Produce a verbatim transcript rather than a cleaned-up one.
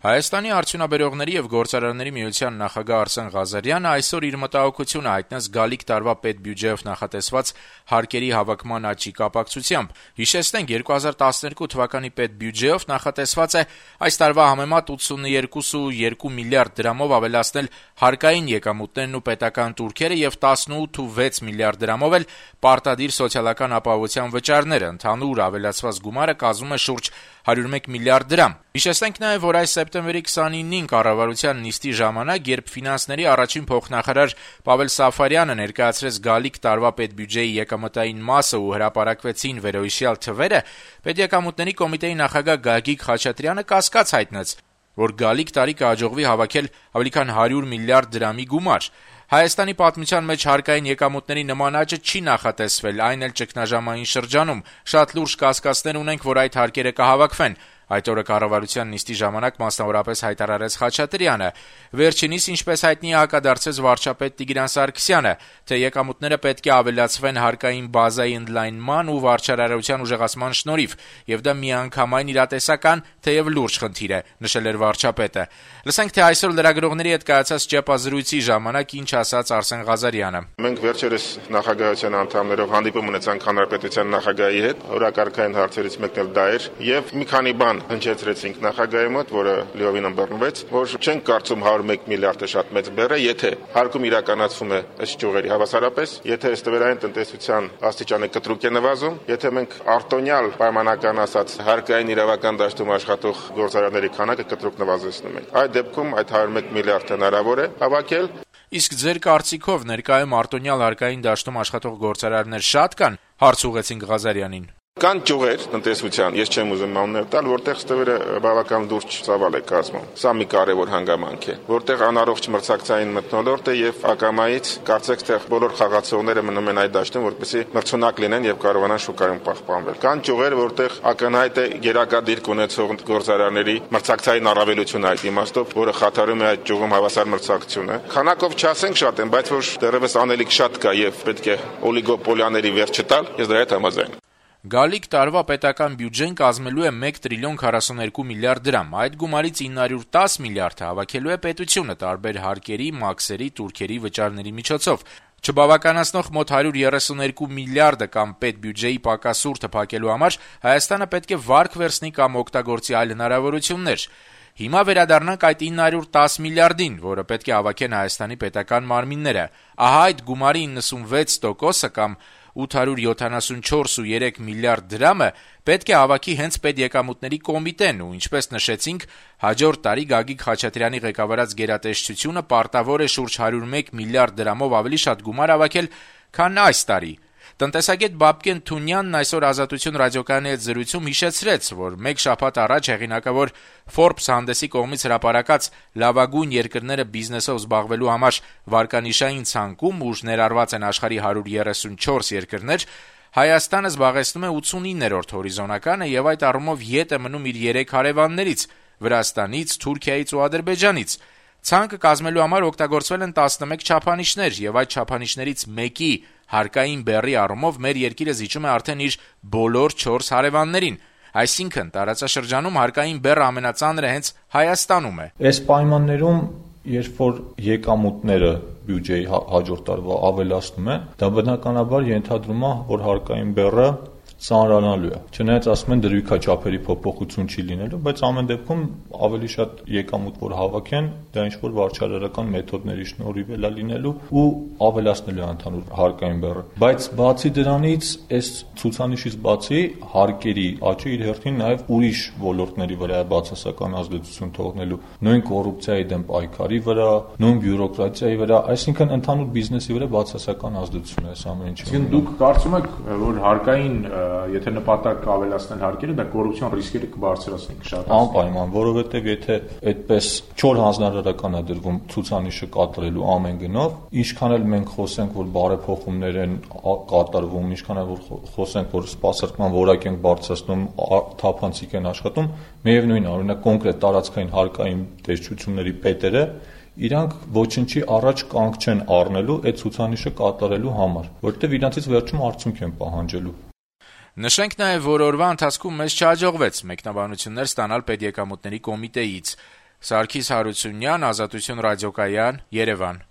Հայաստանի արդյունաբերողների եւ գործարարների միության նախագահ Արսեն Ղազարյանը այսօր իր մտահոգությունը հայտնեց գալիք տարվա պետբյուջեով նախատեսված հարկերի հավաքման աճի կապակցությամբ։ Հիշեցնենք, երկու հազար տասներկու թվականի պետբյուջեով նախատեսված է այս տարվա համեմատ ութսուններկու կόμμα երկու միլիարդ դրամով ավելացնել հարկային եկամուտներն ու պետական տուրքերը եւ տասնութ կόμma վեց միլիարդ դրամով էլ պարտադիր սոցիալական ապահովության վճարները։ Ընդհանուր ավելացված գումարը կազմում է շուրջ հարյուր մեկ միլիարդ դրամ։ Հիշեցնենք նաեւ, որ այս սեպտեմբերի քսանինին կառավարության նիստի ժամանակ, երբ ֆինանսների առաջին փոխնախարար Պավել Սաֆարյանը ներկայացրեց գալիք տարվա պետբյուջեի եկամտային մասը ու հրապարակվեցին վերոհիշյալ թվերը, Պետեկամուտների կոմիտեի նախագահ Գագիկ Խաչատրյանը կասկած հայտնեց, որ գալիք տարի կհաջողվի հավաքել ավելի քան հարյուր միլիարդ դրամի գումար։ Հայաստանի պատմության մեջ հարկային եկամուտների նման աճը չի նախատեսվել, այն էլ ճգնաժամային շրջանում։ Շատ լուրջ կասկածներ ունենք, որ այդ հարկերը կհավաքվեն։ Այդ օրը կառավարության նիստի ժամանակ մասնավորապես հայտարարեց Խաչատրյանը։ Վերջինիս, ինչպես հայտնի է, հակադարձեց վարչապետ Տիգրան Սարգսյանը, թե եկամուտները պետք է ավելացվեն հարկային բազայի ընդլայնման ու վարչարարության ուժեղացման շնորհիվ, եւ դա միանգամայն իրատեսական, թեև լուրջ խնդիր է, նշել էր վարչապետը։ Լսենք, թե այսօր լրագրողների հետ կայացած ճեպազրույցի ժամանակ ինչ ասաց Արսեն Ղազարյանը։ Մենք վերջերս նախագահության անդամներով հանդիպում ունեցանք հանրապետության նախագահի հետ, օրակարգային հարցերից մեկն էլ դա էր, եւ մի քանի բան հնչեցրեցինք նախագահի մոտ, որը լիովին ըմբռնվեց, որ չենք կարծում հարյուր մեկ միլիարդը շատ մեծ բեռ է, եթե հարկում իրականացվում է ըստ ճյուղերի հավասարապես, եթե ստվերային տնտեսության աստիճանը կտրուկ է նվազում, եթե մենք արտոնյալ պայմանական ասած հարկային իրավական դաշտում աշխատող գործարարների քանակը կտրուկ նվազեցնում ենք։ Այդ դեպքում այդ հարյուր մեկ միլիարդ հնարավոր է հավաքել։ Իսկ ձեր կարծիքով ներկայում արտոնյալ հարկային դաշտում աշխատող գործարարներ շատ կան, հարց ուղղեցինք Ղազարյանին։ Կան ճյուղեր տնտեսության, ես չեմ ուզում անուններ տալ, որտեղ ստվերը բավական լուրջ ծավալ է կազմում։ Սա մի կարևոր հանգամանք է, որտեղ անառողջ մրցակցային մթնոլորտ է եւ ակամայից կարծեք թե բոլոր խաղացողները մնում են այդ դաշտում, որպեսզի մրցունակ լինեն եւ կարողանան շուկայում պահպանվել։ Կան ճյուղեր, որտեղ ակնհայտ է գերակա դիրք ունեցող գործարարների մրցակցային առավելությունը այդ իմաստով, որը խաթարում է այդ ճյուղում հավասար մրցակցությունը։ Քանակով չասենք շատ են, բայց որ դեռևս անելիք շատ կա եւ պետք է օլիգոպոլիաների վերջ չտալ, ես դրա հետ համաձայն եմ։ Գալիք տարվա պետական բյուջեն կազմելու է մեկ տրիլիոն քառասուներկու միլիարդ դրամ։ Այդ գումարից ինը հարյուր տասը միլիարդը հավաքելու է պետությունը տարբեր հարկերի, մաքսերի, տուրքերի վճարների միջոցով։ Չբավականացնող մոտ հարյուր երեսուներկու միլիարդը կամ պետբյուջեի պակասուրդը փակելու համար Հայաստանը պետք է վարկ վերցնի կամ օգտագործի այլ հնարավորություններ։ Հիմա վերադառնանք այդ ինը հարյուր տասը միլիարդին, որը պետք է հավաքեն Հայաստանի պետական մարմինները։ Ահա այդ գումարի իննսունվեց տոկոսը կամ ութ հարյուր յոթանասունչորս կόμma երեք միլիարդ դրամը պետք է հավաքի հենց պետեկամուտների կոմիտեն ու, ինչպես նշեցինք, հաջորդ տարի Գագիկ Խաչատրյանի ղեկավարած գերատեսչությունը պարտավոր է շուրջ հարյուր մեկ միլիարդ դրամով ավելի շատ գումար հավաքել, քան այս տարի։ Տնտեսագետ Բաբկեն Թունյանն այսօր Ազատություն ռադիոկայանի հետ զրույցում հիշեցրեց, որ մեկ շաբաթ առաջ հեղինակավոր Forbes հանդեսի կողմից հրապարակած լավագույն երկրները բիզնեսով զբաղվելու համար վարկանիշային ցանկում, ուր ներառված են աշխարհի հարյուր երեսունչորս երկրներ, Հայաստանը զբաղեցնում է ութսունիններորդ հորիզոնականը եւ այդ առումով ետ է մնում իր երեք հարևաններից՝ Վրաստանից, Թուրքիայից ու Ադրբեջանից։ Ցանկը կազմելու համար օգտագործվել են տասնմեկ չափանիշներ եւ այդ չափանիշներից մեկի հարկային բեռի առումով մեր երկիրը զիջում է արդեն իր բոլոր չորս հարևաններին։ Այսինքն տարածաշրջանում հարկային բեռը ամենածանրը հենց Հայաստանում է։ Այս պայմաններում, երբ որ եկամուտները բյուջեի հաջորդ տարվա ավելացնում է, դա բնականաբար ենթադրում է, որ հարկային բեռը ծանրանալու է։ Չնայած ասում են դրույքաչափերի փոփոխություն չի լինելու, բայց ամեն դեպքում ավելի շատ եկամուտ որ հավաքեն, դա ինչ որ վարչարարական մեթոդների շնորհիվ է լինելու ու ավելացնելու է ընդհանուր հարկային բեռը։ Բայց բացի դրանից, այս ցուցանիշից բացի հարկերի աճը իր հերթին նաև ուրիշ ոլորտների վրա է բացասական ազդեցություն թողնելու, նույն կոռուպցիայի դեմ պայքարի վրա, նույն բյուրոկրատիայի վրա, այսինքն ընդհանուր բիզնեսի վրա բացասական ազդեցություն է այս ամեն ինչը։ Իսկ դուք կարծում եք, որ հարկային եթե նպատակ ավելացնել հարկերը, դա կոռուպցիոն ռիսկերը կբարձրացնի, կշատացնի։ Անպայման, որովհետև եթե այդպես չոր հանձնարարական է դրվում ցուցանիշը կատարելու ամեն գնով, ինչքան էլ մենք խոսենք, որ բարեփոխումներ են կատարվում, ինչքան էլ որ խոսենք, որ սպասարկման որակ են բարձրացնում, թափանցիկ են աշխատում, միևնույն է, օրինակ կոնկրետ տարածքային հարկային տեսչությունների պետերը իրանք ոչնչի առաջ կանգ չեն առնելու այդ ցուցանիշը կատարելու համար, որովհետև իրանցից վերջում արդյունք են պահանջելու։ Նշենք նաև, որ օրվա ընթացքում մեզ չհաջողվեց մեկնաբանություններ ստանալ պետեկամուտների կոմիտեից։ Սարգիս Հարությունյան, Ազատություն ռադիոկայան, Երևան։